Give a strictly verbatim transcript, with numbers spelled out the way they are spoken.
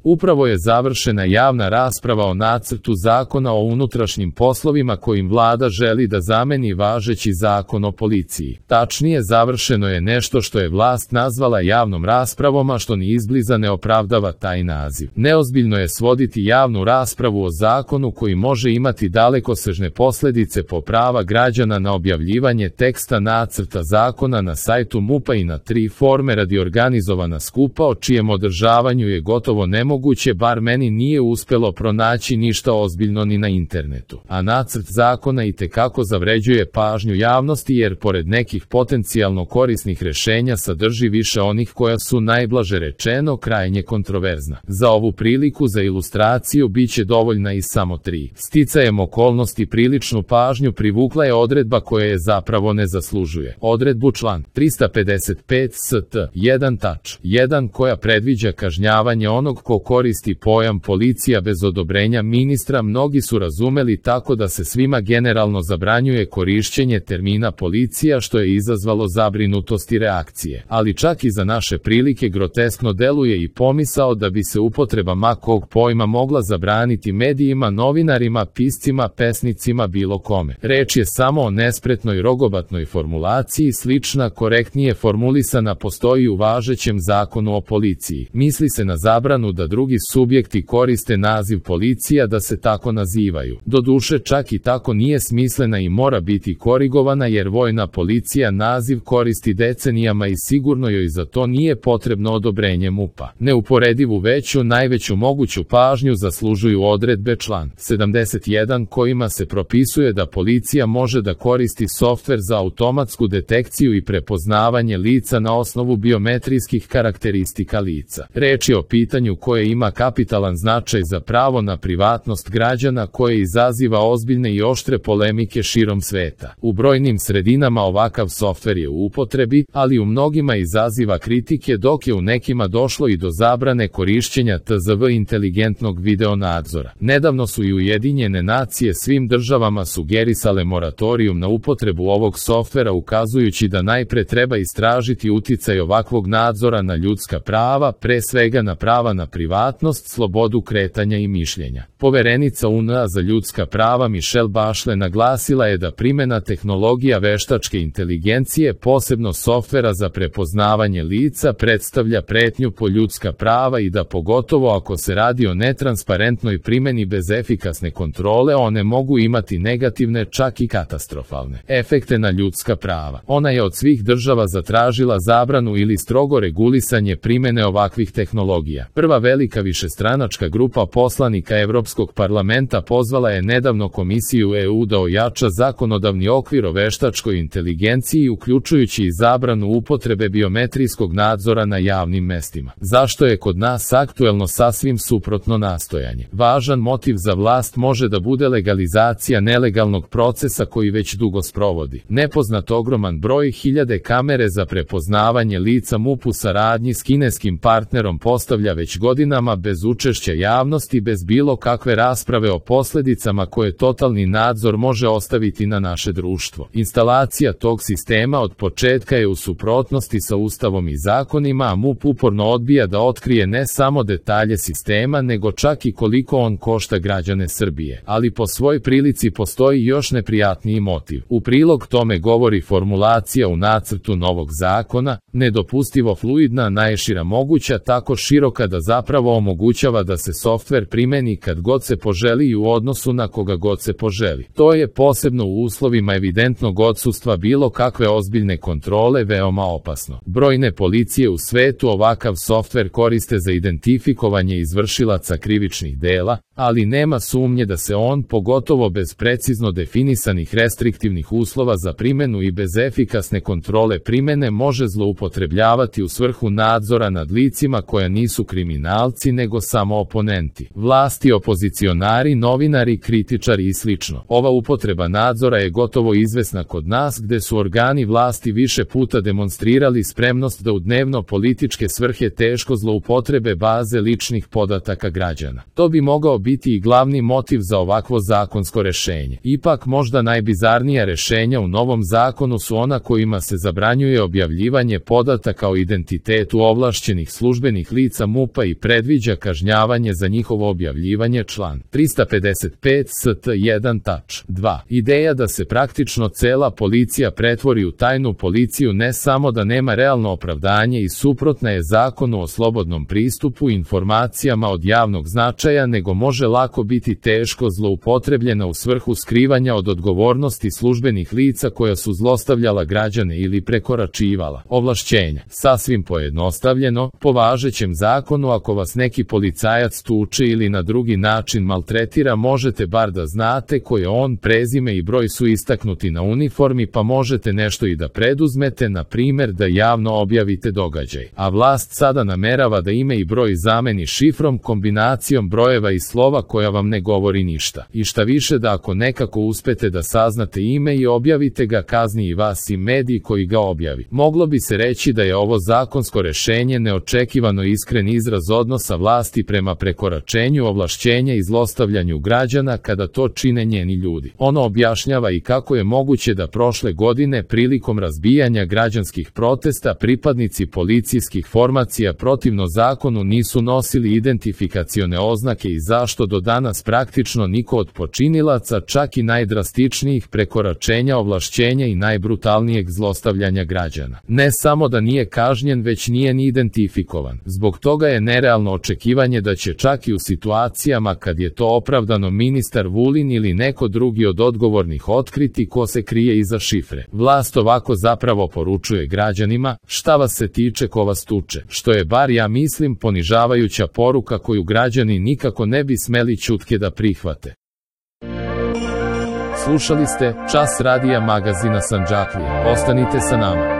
Upravo je završena javna rasprava o nacrtu zakona o unutrašnjim poslovima kojim vlada želi da zameni važeći zakon o policiji. Tačnije, završeno je nešto što je vlast nazvala javnom raspravom, a što ni izbliza ne opravdava taj naziv. Neozbiljno je svoditi javnu raspravu o zakonu koji može imati dalekosežne posljedice po prava građana na objavljivanje teksta nacrta zakona na sajtu MUP-a i na tri forme radi organizovana skupa o čijem održavanju je gotovo nemoguće Moguće, bar meni nije uspjelo pronaći ništa ozbiljno ni na internetu. A nacrt zakona itekako zavređuje pažnju javnosti jer pored nekih potencijalno korisnih rješenja sadrži više onih koja su najblaže rečeno krajnje kontroverzna. Za ovu priliku za ilustraciju bit će dovoljna i samo tri. Sticajem okolnosti priličnu pažnju privukla je odredba koja je zapravo ne zaslužuje. Odredbu član trista pedeset pet st jedan tač jedan koja predviđa kažnjavanje onog ko koristi pojam policija bez odobrenja ministra mnogi su razumeli tako da se svima generalno zabranjuje korišćenje termina policija što je izazvalo zabrinutost i reakcije. Ali čak i za naše prilike groteskno deluje i pomisao da bi se upotreba makog pojma mogla zabraniti medijima, novinarima, piscima, pesnicima, bilo kome. Reč je samo o nespretnoj rogobatnoj formulaciji, slična korektnije formulisana postoji u važećem zakonu o policiji. Misli se na zabranu da drugi subjekti koriste naziv policija da se tako nazivaju. Doduše čak i tako nije smislena i mora biti korigovana jer vojna policija naziv koristi decenijama i sigurno joj za to nije potrebno odobrenje MUP-a. Neuporedivu veću, najveću moguću pažnju zaslužuju odredbe član sedamdeset jedan kojima se propisuje da policija može da koristi softver za automatsku detekciju i prepoznavanje lica na osnovu biometrijskih karakteristika lica. Reč je o pitanju koje ima kapitalan značaj za pravo na privatnost građana koje izaziva ozbiljne i oštre polemike širom sveta. U brojnim sredinama ovakav softver je u upotrebi, ali u mnogima izaziva kritike dok je u nekima došlo i do zabrane korišćenja T Z V inteligentnog video nadzora. Nedavno su i Ujedinjene nacije svim državama sugerisale moratorijum na upotrebu ovog softvera ukazujući da najpre treba istražiti uticaj ovakvog nadzora na ljudska prava, pre svega na prava na privatnost, slobodu kretanja i mišljenja. Poverenica U N A za ljudska prava Michelle Bachelet naglasila je da primjena tehnologija veštačke inteligencije, posebno softvera za prepoznavanje lica, predstavlja pretnju po ljudska prava i da pogotovo ako se radi o netransparentnoj primjeni bez efikasne kontrole one mogu imati negativne, čak i katastrofalne efekte na ljudska prava. Ona je od svih država zatražila zabranu ili strogo regulisanje primjene ovakvih tehnologija. Prva velika višestranačka grupa poslanika Evropskog parlamenta pozvala je nedavno Komisiju E U da ojača zakonodavni okvir o veštačkoj inteligenciji uključujući i zabranu upotrebe biometrijskog nadzora na javnim mestima. Zašto je kod nas aktuelno sasvim suprotno nastojanje? Važan motiv za vlast može da bude legalizacija nelegalnog procesa koji već dugo sprovodi. Nepoznat ogroman broj hiljade kamere za prepoznavanje lica MUP u saradnji s kineskim partnerom postavlja već godinama bez učešća javnosti, bez bilo kakve rasprave o posljedicama koje totalni nadzor može ostaviti na naše društvo. Instalacija tog sistema od početka je u suprotnosti sa Ustavom i zakonima, a MUP uporno odbija da otkrije ne samo detalje sistema, nego čak i koliko on košta građane Srbije. Ali po svoj prilici postoji još neprijatniji motiv. U prilog tome govori formulacija u nacrtu novog zakona, nedopustivo fluidna, najšira moguća, tako široka da zapravo omogućava da se softver primeni kad god se poželi i u odnosu na koga god se poželi. To je posebno u uslovima evidentnog odsustva bilo kakve ozbiljne kontrole veoma opasno. Brojne policije u svetu ovakav softver koriste za identifikovanje izvršilaca krivičnih dela, ali nema sumnje da se on, pogotovo bez precizno definisanih restriktivnih uslova za primjenu i bez efikasne kontrole primjene, može zloupotrebljavati u svrhu nadzora nad licima koja nisu kriminalci nego samo oponenti, vlasti, opozicionari, novinari, kritičari i slično. Ova upotreba nadzora je gotovo izvesna kod nas gde su organi vlasti više puta demonstrirali spremnost da u dnevno političke svrhe teško zloupotrebe baze ličnih podataka građana. To bi mogao biti i glavni motiv za ovakvo zakonsko rešenje. Ipak možda najbizarnija rešenja u novom zakonu su ona kojima se zabranjuje objavljivanje podataka o identitetu ovlašćenih službenih lica MUP-a i pre predviđa kažnjavanje za njihovo objavljivanje član trista pedeset pet st jedan tač dva. Ideja da se praktično cela policija pretvori u tajnu policiju ne samo da nema realno opravdanje i suprotna je zakonu o slobodnom pristupu informacijama od javnog značaja, nego može lako biti teško zloupotrebljena u svrhu skrivanja od odgovornosti službenih lica koja su zlostavljala građane ili prekoračivala ovlašćenja. Sasvim pojednostavljeno, po važećem zakonu ako vas neki policajac tuče ili na drugi način maltretira, možete bar da znate koje on, prezime i broj su istaknuti na uniformi, pa možete nešto i da preduzmete, na primer da javno objavite događaj. A vlast sada namerava da ime i broj zameni šifrom, kombinacijom brojeva i slova koja vam ne govori ništa. I šta više, da ako nekako uspete da saznate ime i objavite ga, kazni i vas i mediji koji ga objavi. Moglo bi se reći da je ovo zakonsko rešenje neočekivano iskren izraz odnosa vlasti prema prekoračenju ovlašćenja i zlostavljanju građana kada to čine njeni ljudi. Ono objašnjava i kako je moguće da prošle godine prilikom razbijanja građanskih protesta pripadnici policijskih formacija protivno zakonu nisu nosili identifikacione oznake i zašto do danas praktično niko od počinilaca čak i najdrastičnijih prekoračenja ovlašćenja i najbrutalnijeg zlostavljanja građana ne samo da nije kažnjen, već nije ni identifikovan. Zbog toga je nerealno očekivanje da će čak i u situacijama kad je to opravdano ministar Vulin ili neko drugi od odgovornih otkriti ko se krije iza šifre. Vlast ovako zapravo poručuje građanima: šta vas se tiče, ko vas tuče, što je, bar ja mislim, ponižavajuća poruka koju građani nikako ne bi smeli ćutke da prihvate. Slušali ste Čas radija magazina Sandžaklija. Ostanite sa nama.